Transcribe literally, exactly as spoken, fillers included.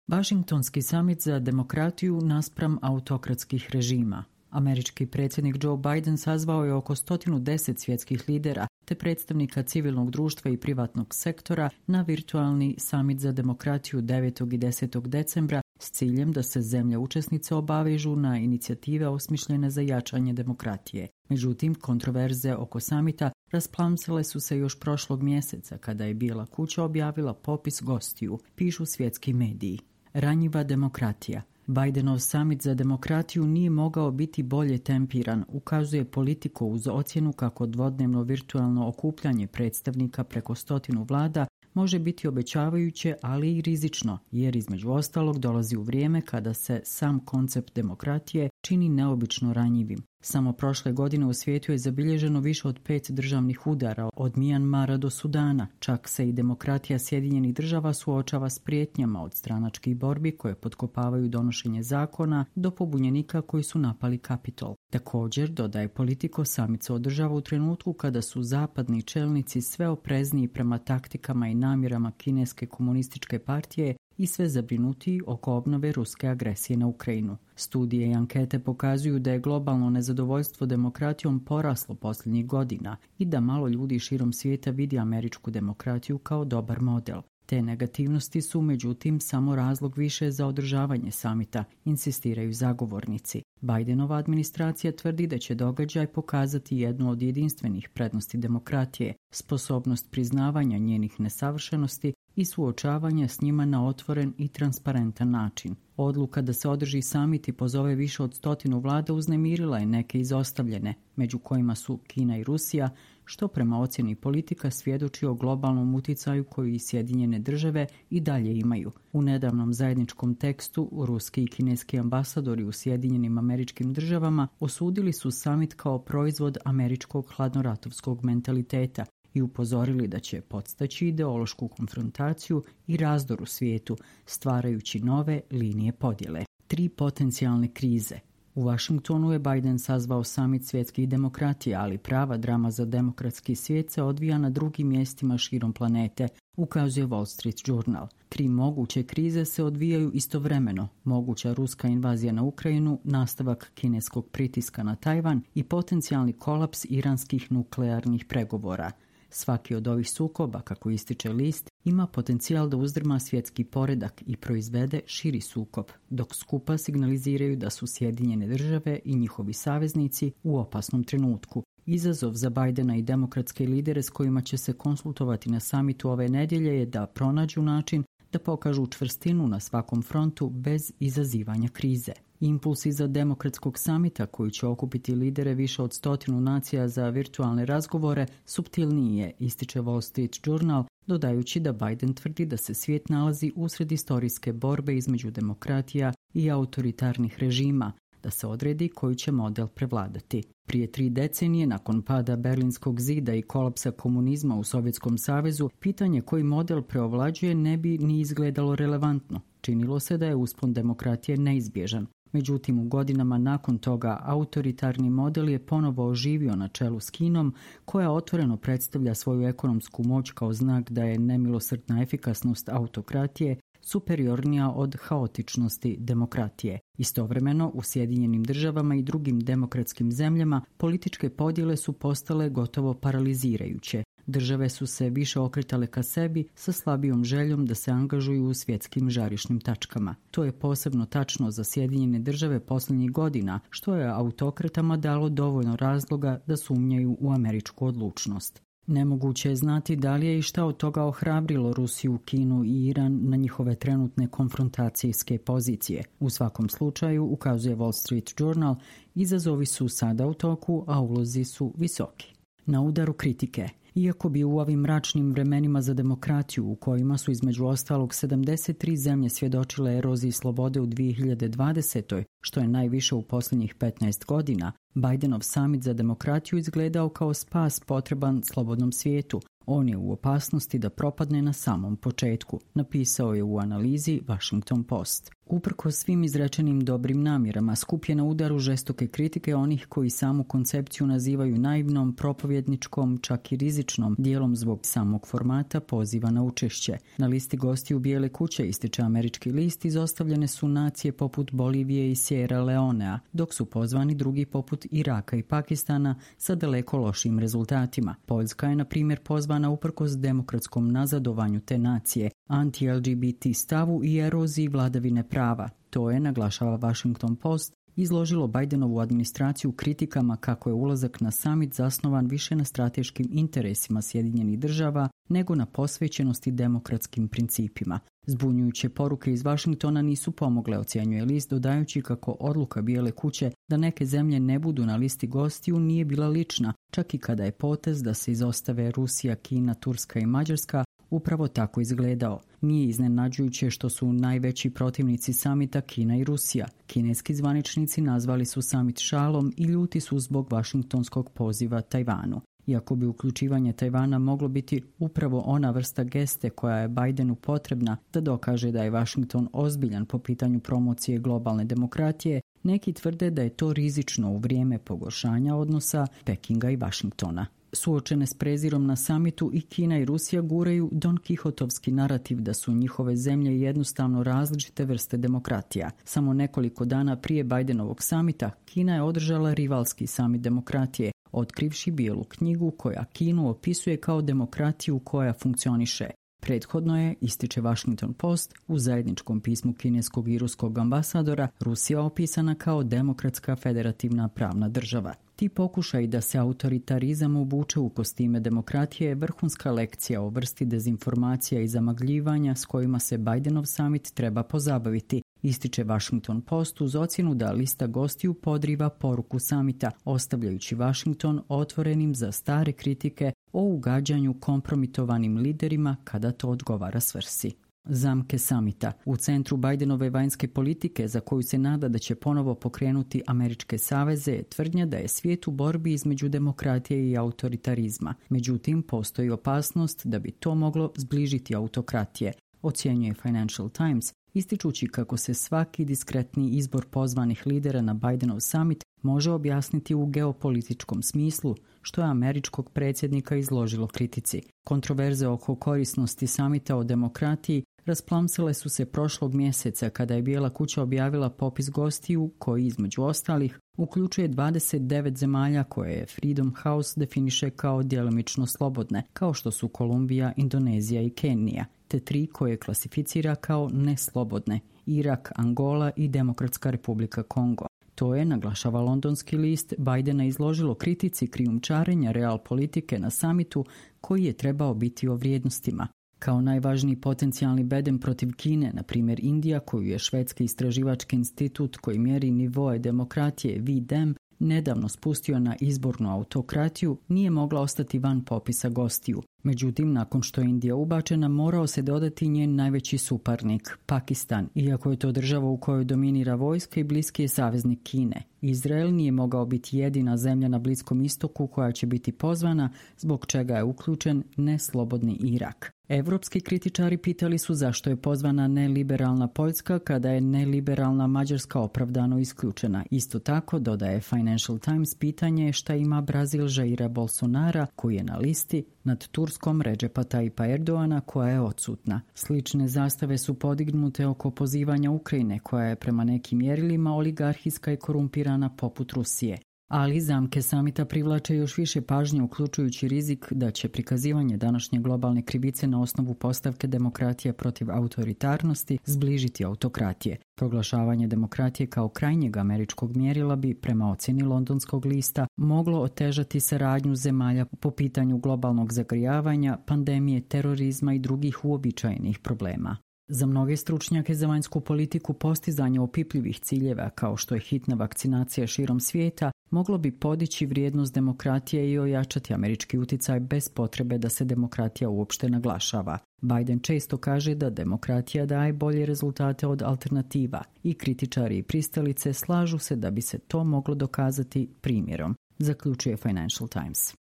Vašingtonski samit za demokratiju naspram autokratskih režima. Američki predsjednik Joe Biden sazvao je oko sto deset svjetskih lidera te predstavnika civilnog društva i privatnog sektora na virtualni samit za demokratiju devetog i desetog decembra s ciljem da se zemlje učesnice obavežu na inicijative osmišljene za jačanje demokratije. Međutim, kontroverze oko samita rasplamsale su se još prošlog mjeseca kada je Bijela kuća objavila popis gostiju, pišu svjetski mediji. Ranjiva demokratija. Bidenov samit za demokratiju nije mogao biti bolje tempiran, ukazuje Politico uz ocjenu kako dvodnevno virtualno okupljanje predstavnika preko stotinu vlada može biti obećavajuće, ali i rizično, jer između ostalog dolazi u vrijeme kada se sam koncept demokratije čini neobično ranjivim. Samo prošle godine u svijetu je zabilježeno više od pet državnih udara, od Mijanmara do Sudana. Čak se i demokratija Sjedinjenih država suočava s prijetnjama od stranačkih borbi koje potkopavaju donošenje zakona do pobunjenika koji su napali Kapitol. Također, dodaje Politico, samit se održava u trenutku kada su zapadni čelnici sve oprezniji prema taktikama i namjerama kineske komunističke partije i sve zabrinutiji oko obnove ruske agresije na Ukrajinu. Studije i ankete pokazuju da je globalno nezadovoljstvo demokratijom poraslo posljednjih godina i da malo ljudi širom svijeta vidi američku demokratiju kao dobar model. Te negativnosti su, međutim, samo razlog više za održavanje samita, insistiraju zagovornici. Bidenova administracija tvrdi da će događaj pokazati jednu od jedinstvenih prednosti demokratije, sposobnost priznavanja njenih nesavršenosti i suočavanja s njima na otvoren i transparentan način. Odluka da se održi samit i pozove više od stotinu vlada uznemirila je neke izostavljene, među kojima su Kina i Rusija, što prema ocjeni Politika svjedoči o globalnom uticaju koji i Sjedinjene države i dalje imaju. U nedavnom zajedničkom tekstu ruski i kineski ambasadori u Sjedinjenim Američkim Državama osudili su samit kao proizvod američkog hladnoratovskog mentaliteta i upozorili da će podstaći ideološku konfrontaciju i razdor u svijetu, stvarajući nove linije podjele. Tri potencijalne krize. U Washingtonu je Biden sazvao samit svjetskih demokratija, ali prava drama za demokratski svijet se odvija na drugim mjestima širom planete, ukazuje Wall Street Journal. Tri moguće krize se odvijaju istovremeno: moguća ruska invazija na Ukrajinu, nastavak kineskog pritiska na Tajvan i potencijalni kolaps iranskih nuklearnih pregovora. Svaki od ovih sukoba, kako ističe list, ima potencijal da uzdrma svjetski poredak i proizvede širi sukob, dok skupa signaliziraju da su Sjedinjene države i njihovi saveznici u opasnom trenutku. Izazov za Bidena i demokratske lidere s kojima će se konsultovati na samitu ove nedjelje je da pronađu način da pokažu čvrstinu na svakom frontu bez izazivanja krize. Impuls iza demokratskog samita, koji će okupiti lidere više od stotinu nacija za virtualne razgovore, suptilniji je, ističe Wall Street Journal, dodajući da Biden tvrdi da se svijet nalazi usred istorijske borbe između demokratija i autoritarnih režima, da se odredi koji će model prevladati. Prije tri decenije, nakon pada Berlinskog zida i kolapsa komunizma u Sovjetskom savezu, pitanje koji model preovlađuje ne bi ni izgledalo relevantno. Činilo se da je uspon demokratije neizbježan. Međutim, u godinama nakon toga autoritarni model je ponovo oživio na čelu s Kinom, koja otvoreno predstavlja svoju ekonomsku moć kao znak da je nemilosrdna efikasnost autokratije superiornija od haotičnosti demokratije. Istovremeno, u Sjedinjenim državama i drugim demokratskim zemljama političke podjele su postale gotovo paralizirajuće. Države su se više okretale ka sebi sa slabijom željom da se angažuju u svjetskim žarišnim tačkama. To je posebno tačno za Sjedinjene države posljednjih godina, što je autokratama dalo dovoljno razloga da sumnjaju u američku odlučnost. Nemoguće je znati da li je i šta od toga ohrabrilo Rusiju, Kinu i Iran na njihove trenutne konfrontacijske pozicije. U svakom slučaju, ukazuje Wall Street Journal, izazovi su sada u toku, a ulozi su visoki. Na udaru kritike. Iako bi u ovim mračnim vremenima za demokratiju, u kojima su između ostalog sedamdeset tri zemlje svjedočile eroziji slobode u dvije hiljade dvadesetoj, što je najviše u posljednjih petnaest godina, Bidenov samit za demokratiju izgledao kao spas potreban slobodnom svijetu. On je u opasnosti da propadne na samom početku, napisao je u analizi Washington Post. Uprkos svim izrečenim dobrim namjerama, skup je na udaru žestoke kritike onih koji samu koncepciju nazivaju naivnom, propovjedničkom, čak i rizičnom, dijelom zbog samog formata poziva na učešće. Na listi gostiju Bijele kuće, ističe američki list, izostavljene su nacije poput Bolivije i Sierra Leonea, dok su pozvani drugi poput Iraka i Pakistana sa daleko lošim rezultatima. Poljska je, na primjer, pozvana uprkos demokratskom nazadovanju te nacije, anti-L G B T stavu i eroziji vladavine prava. To je, naglašava Washington Post, izložilo Bidenovu administraciju kritikama kako je ulazak na summit zasnovan više na strateškim interesima Sjedinjenih država nego na posvećenosti demokratskim principima. Zbunjujuće poruke iz Washingtona nisu pomogle, ocjenjuje list, dodajući kako odluka Bijele kuće da neke zemlje ne budu na listi gostiju nije bila lična, čak i kada je potez da se izostave Rusija, Kina, Turska i Mađarska upravo tako izgledao. Nije iznenađujuće što su najveći protivnici samita Kina i Rusija. Kineski zvaničnici nazvali su samit šalom i ljuti su zbog vašingtonskog poziva Tajvanu. Iako bi uključivanje Tajvana moglo biti upravo ona vrsta geste koja je Bidenu potrebna da dokaže da je Washington ozbiljan po pitanju promocije globalne demokratije, neki tvrde da je to rizično u vrijeme pogoršanja odnosa Pekinga i Washingtona. Suočene s prezirom na samitu, i Kina i Rusija guraju Don Kihotovski narativ da su njihove zemlje jednostavno različite vrste demokratija. Samo nekoliko dana prije Bidenovog samita Kina je održala rivalski samit demokratije, otkrivši bijelu knjigu koja Kinu opisuje kao demokratiju koja funkcioniše. Prethodno je, ističe Washington Post, u zajedničkom pismu kineskog i ruskog ambasadora, Rusija opisana kao demokratska federativna pravna država. Ti pokušaj da se autoritarizam obuče u kostime demokratije je vrhunska lekcija o vrsti dezinformacija i zamagljivanja s kojima se Bidenov summit treba pozabaviti, ističe Washington Post uz ocjenu da lista gostiju podriva poruku samita, ostavljajući Washington otvorenim za stare kritike o ugađanju kompromitovanim liderima kada to odgovara svrsi. Zamke samita. U centru Bidenove vanjske politike, za koju se nada da će ponovo pokrenuti američke saveze, je tvrdnja da je svijet u borbi između demokratije i autoritarizma. Međutim, postoji opasnost da bi to moglo zbližiti autokratije, ocjenjuje Financial Times, ističući kako se svaki diskretni izbor pozvanih lidera na Bidenov summit može objasniti u geopolitičkom smislu, što je američkog predsjednika izložilo kritici. Kontroverze oko korisnosti samita o demokratiji rasplamsale su se prošlog mjeseca kada je Bijela kuća objavila popis gostiju koji, između ostalih, uključuje dvadeset devet zemalja koje je Freedom House definiše kao djelomično slobodne, kao što su Kolumbija, Indonezija i Kenija, te tri koje klasificira kao neslobodne, Irak, Angola i Demokratska republika Kongo. To je, naglašava londonski list, Bidena izložilo kritici krijumčarenja real politike na samitu koji je trebao biti o vrijednostima. Kao najvažniji potencijalni bedem protiv Kine, na primjer Indija, koju je švedski istraživački institut koji mjeri nivoe demokratije V D E M nedavno spustio na izbornu autokratiju, nije mogla ostati van popisa gostiju. Međutim, nakon što je Indija ubačena, morao se dodati njen najveći suparnik, Pakistan, iako je to država u kojoj dominira vojska i bliski je saveznik Kine. Izrael nije mogao biti jedina zemlja na Bliskom istoku koja će biti pozvana, zbog čega je uključen neslobodni Irak. Evropski kritičari pitali su zašto je pozvana neliberalna Poljska kada je neliberalna Mađarska opravdano isključena. Isto tako, dodaje Financial Times, pitanje šta ima Brazil Jaira Bolsonara koji je na listi nad Turskom Redžepa Tayyipa Erdoana koja je odsutna. Slične zastave su podignute oko pozivanja Ukrajine koja je prema nekim mjerilima oligarhijska i korumpirana poput Rusije. Ali zamke samita privlače još više pažnje, uključujući rizik da će prikazivanje današnje globalne krivice na osnovu postavke demokratije protiv autoritarnosti zbližiti autokratije. Proglašavanje demokratije kao krajnjeg američkog mjerila bi, prema ocjeni londonskog lista, moglo otežati saradnju zemalja po pitanju globalnog zagrijavanja, pandemije, terorizma i drugih uobičajenih problema. Za mnoge stručnjake za vanjsku politiku postizanje opipljivih ciljeva kao što je hitna vakcinacija širom svijeta moglo bi podići vrijednost demokratije i ojačati američki utjecaj bez potrebe da se demokratija uopšte naglašava. Biden često kaže da demokratija daje bolje rezultate od alternativa i kritičari i pristalice slažu se da bi se to moglo dokazati primjerom, zaključuje Financial Times.